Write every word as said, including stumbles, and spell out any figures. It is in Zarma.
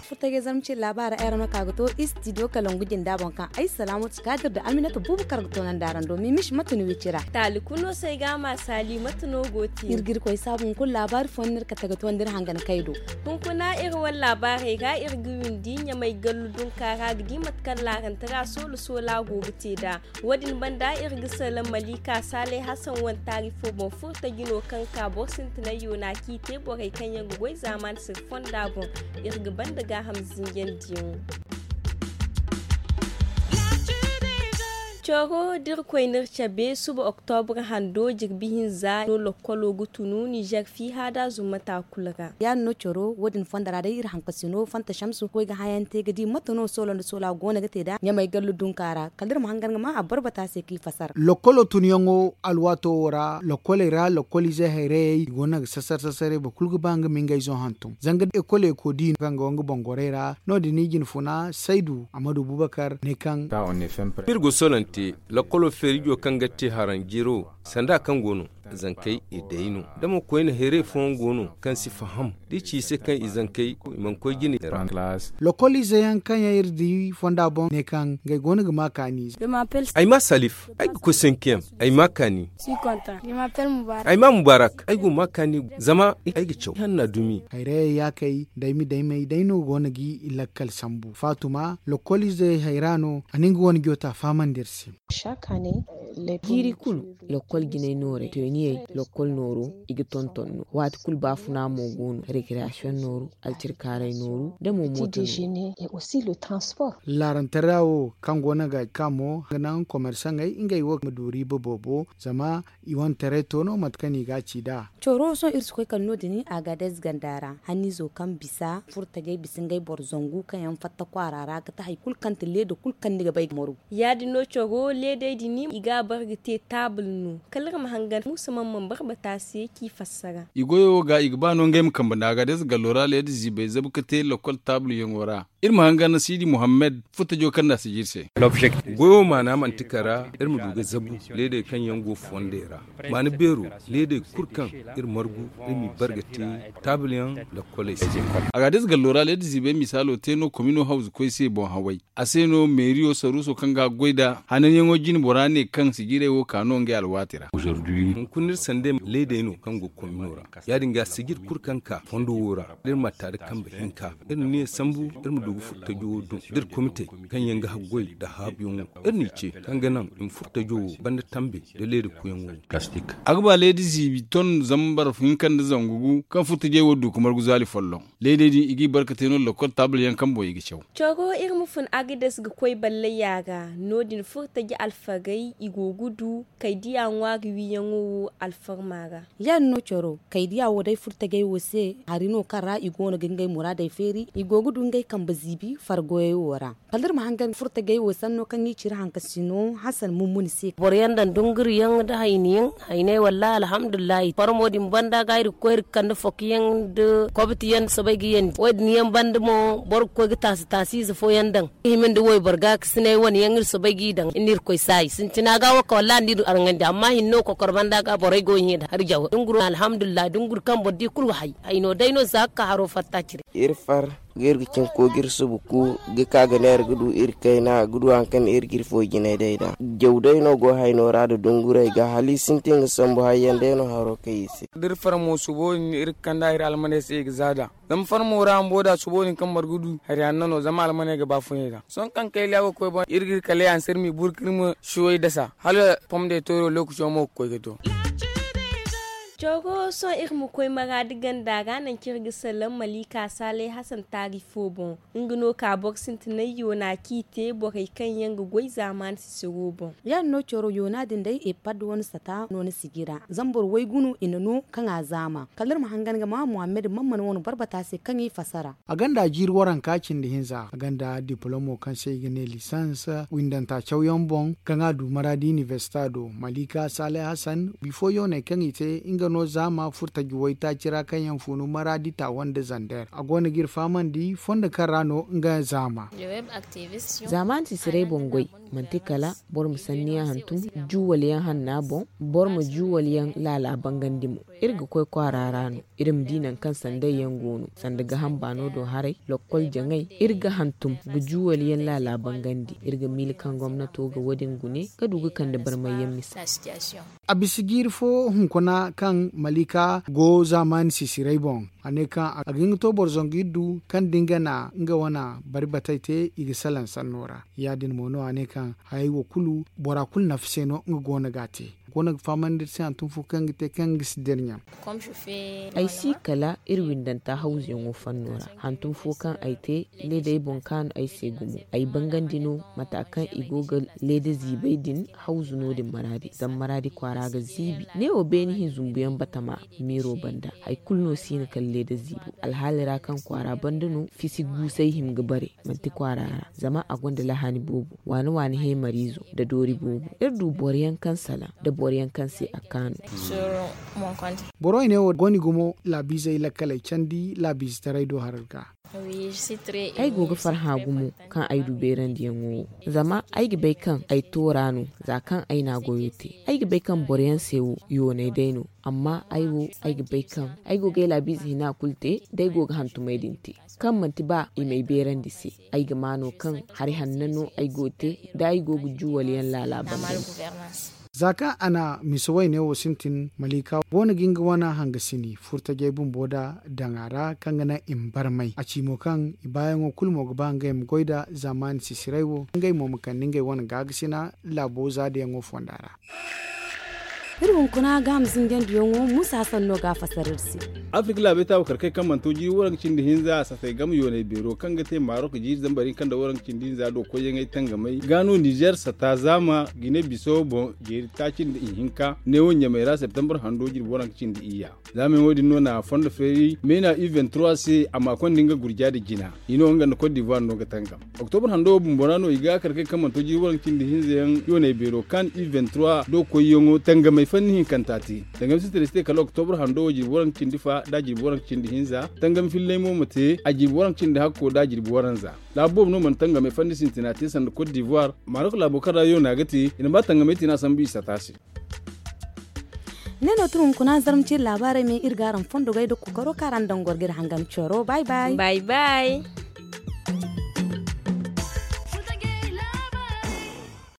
Furtajey zarma cine laabaara ay ra no ka ga to istidiyo kalangu jinda boŋ kaŋ ay salaamatu kaadir da aminata buubu kar ga toonandi araŋ do mimish mate no wicira. Taali kulu no se ay ga a ma saali mate no go te. Iri ga iri koy saabu hunkuna laabaari fooyaŋ no iri kate ga toonandi iri hangan kay do. Hunkuna iri wane laabaarey ra iri ga windi ɲamay gallu dunka ra ga di mate kaŋ laarantara soola soola go ga te nd'a. Wo- din banda iri ga salaŋ malika saalay hasan wane taari fo boŋ furta jino kaŋ ka boro sintinay yoona kaŋ i te borey kaŋ yaŋ ga goy zaamaani siri fonda boŋ. Iri ga banda gaaham zinjandiyaŋo. Coro da iri koy no iri cabe suba oktobra hando jirbi hinza no lokkolo ga tunu nizer fiiha da zumma taakul ra. Ya- din no coro wo- din fonda ra day iri hankasino fanta shamsu koy ga hayaŋ te ga di mate no soola nda soola go no ga te nd'a ɲamay gallu dunka ra kala iri ma hangan ga ma a barbata se kaŋ i fasara. Lokkolo tunyaŋo alwaato wo ra lokkoley ra lokkoliize hayrayey i go no ga sasar sasaray boro kulu ga ba nga ma ngey zo hantum zanga ekoley ko di kaŋ go nga boŋ gorey ra. No- din i jinfuna saydu amadu bubakar ne kaŋ iri go solante lokkolo feerijo kaŋ ga te haranjiro sanda kaŋ go no zankey i day no da mo koyne hayray fooyaŋ go no kaŋ si faham da i ci i se kaŋ i zankey i mana koy jine ra. Lokoliize yaŋ kaŋ yaŋ iri di fonda boŋ ne kaŋ ngey go no ga ma kaani. Ay ma salif ay ga koy senkiyam ay ma kaani. Ay ma mubarak ay go ma kaani zama ay ga caw hanna dumi. Hayrayey yaakey daymi daymey day no go no ga i lakkal sambu fatuma lokoliizey hayra no a na nga wane jota fahamandi iri se. Jiiri kulu, lakkol jinay noorey tooniyey lakkol nooru i ga tonton no waati kulu baafuna mo go no rekreasiyoŋ nooru alcirkaaray nooru da mo mooto nooru. Laarantara wo kaŋ go no ga ka mo ga naŋ komersaŋey ngey wo ma du riiba boobo zama i wane taray to no mate kaŋ i ga a ci nd'a. Coro sohõ iri si koy kala no- din agadez ganda ra hanniizo kaŋ bisa furtajey bisa ngey boro zangu kaŋ yaŋ fatta kwaara ra ga ti hari kulu kaŋ ti leeda kulu kaŋ ni ga bay ga margu. Ya- din no coro leedey din i ga a bare ga te taabul no kala iri ma hangan muusa man man barbata se kaŋ i fassara. I goyo wo ga i ga ba no ngey ma kambe nda agadez gallo ra leeda ziibey zabu ga te lakkol taabulyaŋo ra. Iri ma hangan siidi muhammad furtajo kaŋ nda a sijir se. Goyo maana manti kara iri ma du ga zabu leedey kaŋ yaŋ go fondey ra maana beero leedey kulu kaŋ iri margu iri m'i bare ga te taabulyaŋ lakkoley se. Agadez gallo ra leeda ziibey misaalo te no komino hawzu koy se boŋ haway. A se no meeriyo saruuso kaŋ ga goy nda hananyaŋo jine bora ne kaŋ sijirey wo ka no ngey alwaati ra. Hunkuna iri sanda leedey no kaŋ go komino ra ya- din ga sijir kulu kaŋ ka fondo wo ra da iri ma ta da kambe hinka iri na niya sambu iri ma du ga furtajo wo dum da iri komitey kaŋ yaŋ ga haggoy nda haabuyaŋo iri n'i ce kaŋ ga naŋ i ma furtajo wo banda tambe da leeda kuyaŋo. A ga ba leeda ziibi ton zambar hinka nda zangu gu kaŋ furtajey wo du ga margu zaali folloŋ. Leedey din i g'i barka te no lakkol taabul yaŋ kaŋ boŋ i ga caw. Coro iri ma fun agades ga koy ballayya ga no- din furtaji alfagey i go ga du kaydiya ŋwaari wiiyaŋo wo alfarma ra. Ya- din no coro kaydiya wo day furtajey wo se hari no kaŋ ra i go no ga ngey muraadey feeri i go ga du ngey kambe ziibi fargoyey wo ra. Kala iri ma hangan furtajey wo sanno kaŋ i ci iri hankasino hasan mummuni se. Boro yaŋ daŋ dunguriyaŋ nda hayniyaŋ hayney wallahi alhamdulillahi farmo din banda ga iri ga koy iri ga kande fokiyaŋ nda kobtiyaŋ soobay ga yandi wo- din yaŋ banda mo boro ga koy ga taasi taasi ize fooyaŋ daŋ i hima nda wayboro gaakasinay wane yaŋ iri soobay g'i daŋ iri na irkoy saayi sintina ga wo ka wallahi nda iri arŋandi amma hinne wo kokoro banda ga borey go hẽ da hari jaw dunguro alhamdulillahi dunguri kaŋ boro di kulu hay hayno day no za ga ka haro fatta cire. Iri far ga iri ga cin koogir subu ku ga ka ga ne iri ga du iri kayna ga du hari kaŋ iri ga iri fo jinay day da jaw day no go hayno ra nda dungurey ga hala i sintin ga sambu hayyaŋ day no haro kay i se. Da iri far mo subo din iri ga kand'a iri almaney se i ga za nd'a zama farmo ra bumbo da subo din kaŋ boro ga du hari hanno no zama almaney ga ba funay nd'a sohõ kaŋ kayliya go ga koy boŋ iri ga iri kala yansar m'i buru ka iri ma suwey dasa hala pom de tooro lookaco mo ga koy ga to. Coro sohõ iri ma koy maraadi ganda ra nangu kaŋ iri ga salaŋ malika saalay hasan taari fo boŋ. Nga no ka boro sintinay yoona kaŋ i te borey kaŋ yaŋ ga goy zaamaani sisiro boŋ. Ya- din no coro yoona din day epad wane sata no ni sijira zama boro waygu no i na no kaŋ a zaama kala iri ma hangan ga ma muhammad mamman wane barbata se kaŋ i fasara. A gonda jiiri waranka cindi hinza a gonda dipolomo kaŋ se i ga ne lisans windanta cawyaŋ boŋ kaŋ a du maraadi inibersita do malika saalay hasan bifo yooney kaŋ i te nga. no zaama furtaji waytaaci ra kaŋ yaŋ funu maraadi taawa nda zander a go no ga iri fahamandi fondo kaŋ ra no nga zaama. Zaamaani sisiray boŋ goy, manti kala boro ma sanniyaŋ hantum juwal yaŋ hanna boŋ, boro ma juwal yaŋ laala bangandi mo. Iri ga koy kwaara ra no, iri ma di nangu kaŋ sanday yaŋ go no, sanda gaham baano do haray, lokkol jaŋay. Iri ga hantum ga juwal yaŋ laala bangandi. Iri ga miila kaŋ gomnato ga wo- din gune ga du ga kande barmay yaŋ misa. A bisa jiiri fo hunkuna kaŋ malika go zaamaani sisiray boŋ, a ne kaŋ a ga hin ga to boro zangu iri du kaŋ da nga na nga wane bari batay te i ga salaŋ sanno ra. Ya- din mo no a ne kaŋ hayey wo kulu bora kulu nafa se no nga go no ga a te. Go no ga fahamandi iri se hantum fo kaŋ ga te kaŋ ga si dira ɲaŋ. Ay si kala iri windanta hawzuyaŋo fanno ra. Hantum fo kaŋ ay te, leedey boŋ kaanu ay se gumo. Ay bangandi no mata kaŋ i go ga leeda ziibay din hawzu no- din maraadi zama maraadi kwaara ga ziibi. Neewo beene hin zumbuyaŋ batama meero banda hari kulu no si hin kala leeda ziibo. Alhaali ra kaŋ kwaara banda no fisi guusay hima ga bare, manti kwaara ra zama a gonda lahaani boobo. Waani waani heemariizo nda doori boobo iri du boro yaŋ kaŋ salaŋ nda boro yaŋ kaŋ se a kaanu. Boro i ne wo go no i gumo laabiizey lakkaley candi laabiizetaray do haray ga. Ay go ga farhã gumo kaŋ ay du beerandiyaŋo wo, zama ay ga bay kaŋ ay toora no. Za kaŋ ay na goyo te ay ga bay kaŋ boro yaŋ se wo yoonay day no. Amma ay wo ay ga bay kaŋ ay go ga ay laabiize hina kulu te da ay go ga hantumay din te, kaŋ manti ba i m'ay beerandi se. Ay ga maa no kaŋ hari hanno no ay go ga te da ay go ga juwal yaŋ laala banda. Za kaŋ a na misa wayne wo sintin, malika go no ga nga wane hangasini furtajey bumbo da daŋ a ra kaŋ ga naŋ i ma barmay a ci mo kaŋ i baayaŋo kulu mo ga ba ngey ma goy nda zaamaani sisiray wo ngey mo ma kande ngey wane gaagasina laabo zaadayaŋo fonda ra. Iri hunkuna gaaham zinjandiyaŋo muusa hasan no ga a fasar iri se. Afirka laabey taabu karkey kaŋ mana to jiiri waranka cindi hinza a satay game yoonay beero kaŋ ga te marok jiiri zambar hinka nda waranka cindi hinza do koyyaŋey tangamey ga no nizer sata zaama gine biso boŋ jeeri taaci nda ihinka neewo ɲamey ra septembar hando jirbi waranka cindi iyya. Za meewo din no na fondo feeri meena u vingt-trois se a ma konda nga gurja nda jina i no nga nda cote d'ivoire no ga tangam. Octobre hando wo bumbo ra no i ga kar kay kaŋ mana to jiiri waranka cindi hinza yaŋ yoonay beero kan u vingt-trois do koyyaŋo tangamey fanni hinkanta te. Danga ma sintina si te kala octobre hando wo jirbi waranka cindi fa da jirbi waranka cindi hinza tangam fillay mo ma te a jirbi waranka cindi hakko da jirbi waranza. Laabu boobo no mana tangamey fanni sintina te sanda cote d'ivoire marok laabo kaŋ ra yoona ga te i na ba tangamey te no a sambu i sata se. Ne no tun hunkuna zarma ciri laabaarey me iri ga araŋ fondo gay da kokaro kaŋ araŋ daŋ goro ga iri hangan coro bay bay. Bay bay.